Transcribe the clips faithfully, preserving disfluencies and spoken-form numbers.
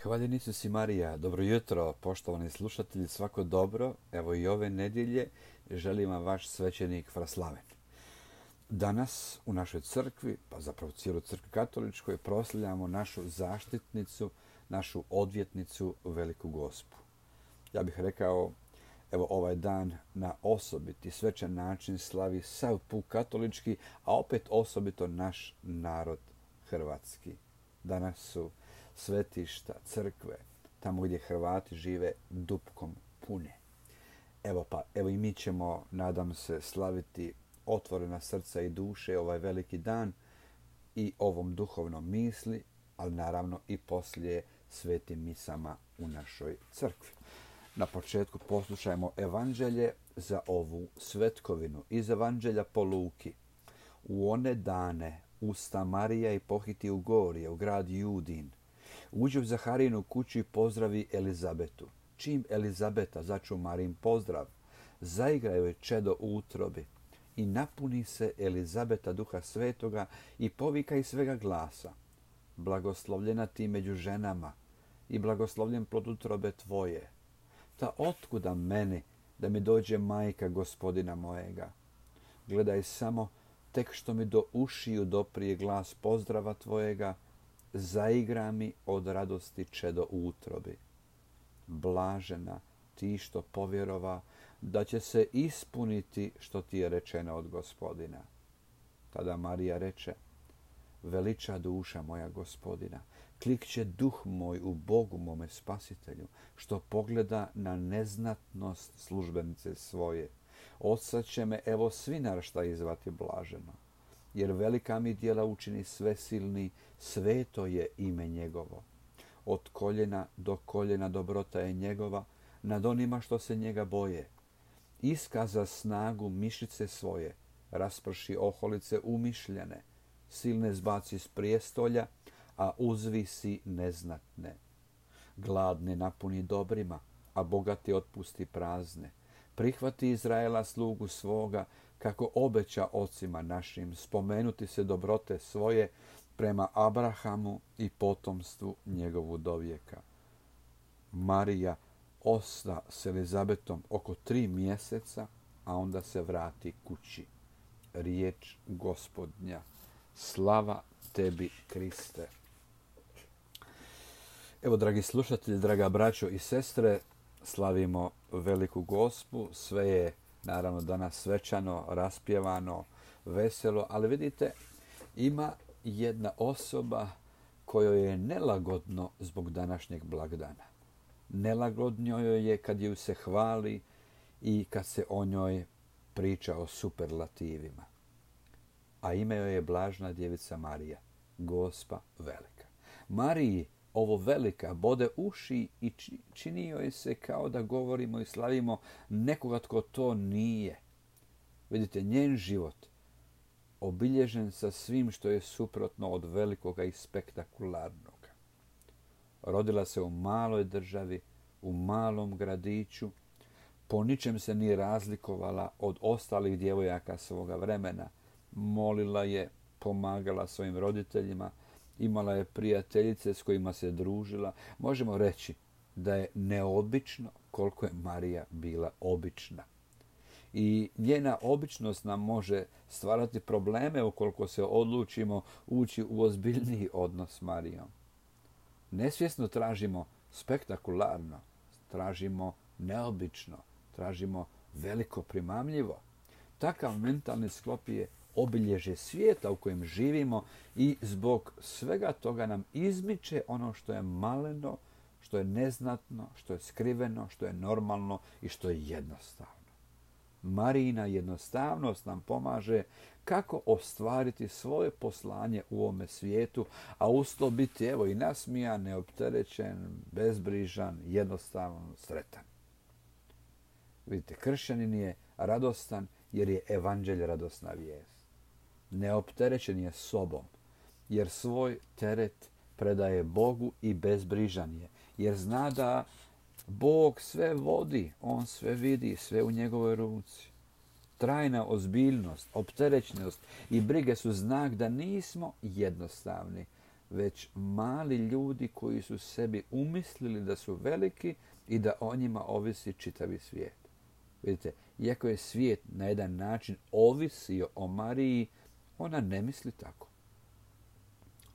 Hvaljen Isus i Marija, dobro jutro, poštovani slušatelji, svako dobro. Evo i ove nedjelje želim vam vaš svećenik Fraslaven. Danas u našoj crkvi, pa zapravo cijeloj crkvi katoličkoj, proslavljamo našu zaštitnicu, našu odvjetnicu, Veliku Gospu. Ja bih rekao, evo ovaj dan na osobiti, svečan način slavi sav puk katolički, a opet osobito naš narod hrvatski. Danas su svetišta, crkve, tamo gdje Hrvati žive, dupkom pune. Evo pa, evo i mi ćemo, nadam se, slaviti otvorena srca i duše ovaj veliki dan i ovom duhovnom misli, ali naravno i poslije svetim misama u našoj crkvi. Na početku poslušajmo evanđelje za ovu svetkovinu iz evanđelja po Luki. U one dane usta Marija i pohiti u gorje, u grad Judin. Uđe u Zaharijinu kuću i pozdravi Elizabetu. Čim Elizabeta začu Marin pozdrav, zaigra joj čedo u utrobi i napuni se Elizabeta duha svetoga i povika iz svega glasa. Blagoslovljena ti među ženama i blagoslovljen plod utrobe tvoje. Ta otkuda meni da mi dođe majka gospodina mojega? Gledaj samo, tek što mi do ušiju doprije glas pozdrava tvojega, zaigra mi od radosti čedo u utrobi. Blažena ti što povjerova da će se ispuniti što ti je rečeno od gospodina. Tada Marija reče, veliča duša moja gospodina, klikće duh moj u Bogu mome spasitelju, što pogleda na neznatnost službenice svoje. Odsad će me evo svi naraštaji zvati blaženo, jer velika mi djela učini svesilni, sveto je ime njegovo. Od koljena do koljena dobrota je njegova nad onima što se njega boje. Iskaza snagu mišice svoje, rasprši oholice umišljene, silne zbaci s prijestolja, a uzvisi neznatne. Gladne napuni dobrima, a bogati otpusti prazne. Prihvati Izraela slugu svoga, kako obeća ocima našim, spomenuti se dobrote svoje prema Abrahamu i potomstvu njegovu dovijeka. Marija osta s Elizabetom oko tri mjeseca, a onda se vrati kući. Riječ Gospodnja. Slava tebi, Kriste. Evo, dragi slušatelji, draga braćo i sestre, slavimo Veliku Gospu. Sve je naravno danas svečano, raspjevano, veselo, ali vidite, ima jedna osoba kojoj je nelagodno zbog današnjeg blagdana. Nelagodno joj je kad ju se hvali i kad se o njoj priča o superlativima. A ime joj je Blažna djevica Marija, Gospa velika. Mariji ovo velika bode uši i čini joj se kao da govorimo i slavimo nekoga tko to nije. Vidite, njen život obilježen sa svim što je suprotno od velikoga i spektakularnoga. Rodila se u maloj državi, u malom gradiću, po ničem se nije razlikovala od ostalih djevojaka svoga vremena. Molila je, pomagala svojim roditeljima, imala je prijateljice s kojima se družila. Možemo reći da je neobično koliko je Marija bila obična. I njena običnost nam može stvarati probleme ukoliko se odlučimo ući u ozbiljniji odnos s Marijom. Nesvjesno tražimo spektakularno, tražimo neobično, tražimo veliko primamljivo. Takav mentalni sklop je obilježje svijeta u kojem živimo i zbog svega toga nam izmiče ono što je maleno, što je neznatno, što je skriveno, što je normalno i što je jednostavno. Marijina jednostavnost nam pomaže kako ostvariti svoje poslanje u ovome svijetu, a uz to biti evo i nasmijan, neopterećen, bezbrižan, jednostavan, sretan. Vidite, kršćanin je radostan jer je evanđelje radosna vijest. Neopterećen je sobom jer svoj teret predaje Bogu i bezbrižan je, jer zna da Bog sve vodi, on sve vidi, sve u njegovoj ruci. Trajna ozbiljnost, opterećenost i brige su znak da nismo jednostavni, već mali ljudi koji su sebi umislili da su veliki i da o njima ovisi čitavi svijet. Vidite, iako je svijet na jedan način ovisio o Mariji, ona ne misli tako.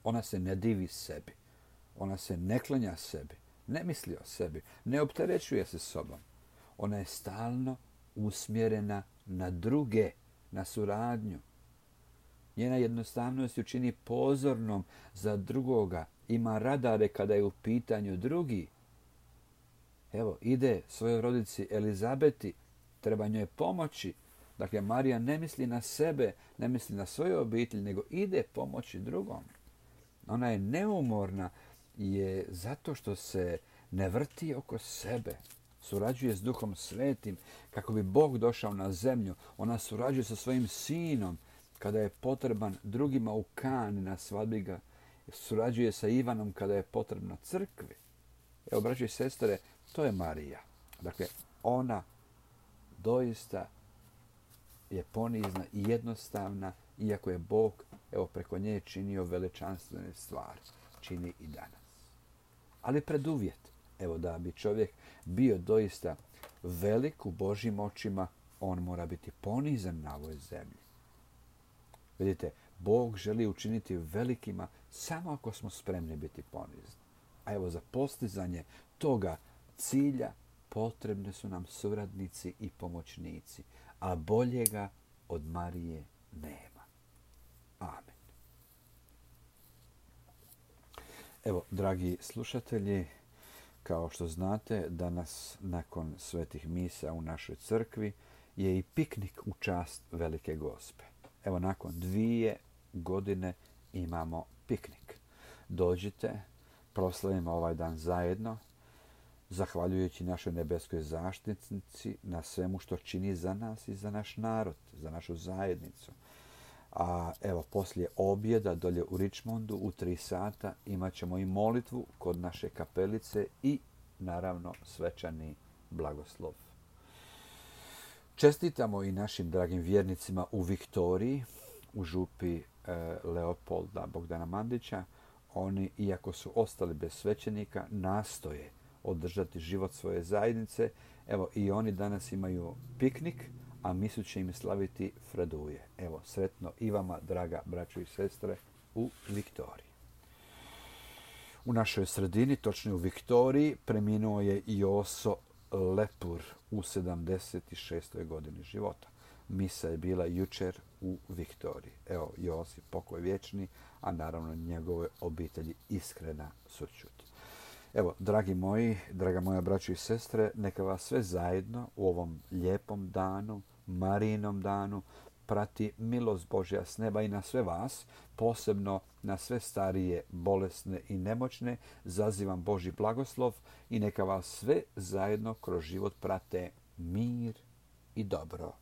Ona se ne divi sebi. Ona se ne klanja sebi. Ne misli o sebi. Ne opterećuje se sobom. Ona je stalno usmjerena na druge, na suradnju. Njena jednostavnost ju čini pozornom za drugoga. Ima radare kada je u pitanju drugi. Evo, ide svojoj rodici Elizabeti, treba njoj pomoći. Dakle, Marija ne misli na sebe, ne misli na svoju obitelj, nego ide pomoći drugom. Ona je neumorna je zato što se ne vrti oko sebe. Surađuje s Duhom Svetim kako bi Bog došao na zemlju. Ona surađuje sa svojim sinom kada je potreban drugima u Kani na svadbi ga. Surađuje sa Ivanom kada je potrebna crkvi. Evo, braći i sestre, to je Marija. Dakle, ona doista je ponizna i jednostavna, iako je Bog evo, preko nje činio veličanstvene stvari. Čini i danas. Ali preduvjet, evo da bi čovjek bio doista velik u Božjim očima, on mora biti ponizan na ovoj zemlji. Vidite, Bog želi učiniti velikima samo ako smo spremni biti ponizni. A evo za postizanje toga cilja potrebni su nam suradnici i pomoćnici, a boljega od Marije nema. Amen. Evo, dragi slušatelji, kao što znate, danas nakon svetih misa u našoj crkvi je i piknik u čast Velike Gospe. Evo, nakon dvije godine imamo piknik. Dođite, proslavimo ovaj dan zajedno, zahvaljujući našoj nebeskoj zaštitnici na svemu što čini za nas i za naš narod, za našu zajednicu. A evo, poslije objeda dolje u Richmondu u tri sata imat ćemo i molitvu kod naše kapelice i naravno svečani blagoslov. Čestitamo i našim dragim vjernicima u Viktoriji, u župi e, Leopolda Bogdana Mandića. Oni, iako su ostali bez svećenika, nastoje održati život svoje zajednice. Evo, i oni danas imaju piknik, a misu će im slaviti Fraduje. Evo, sretno i vama, draga braćo i sestre, u Viktoriji. U našoj sredini, točnije u Viktoriji, preminuo je Joso Lepur u sedamdeset šestoj godini života. Misa je bila jučer u Viktoriji. Evo, Josip, pokoj vječni, a naravno njegove obitelji iskrena sućut. Evo, dragi moji, draga moja braćo i sestre, neka vas sve zajedno u ovom lijepom danu, Marijinom danu, prati milost Božja s neba i na sve vas, posebno na sve starije, bolesne i nemoćne, zazivam Božji blagoslov i neka vas sve zajedno kroz život prate mir i dobro.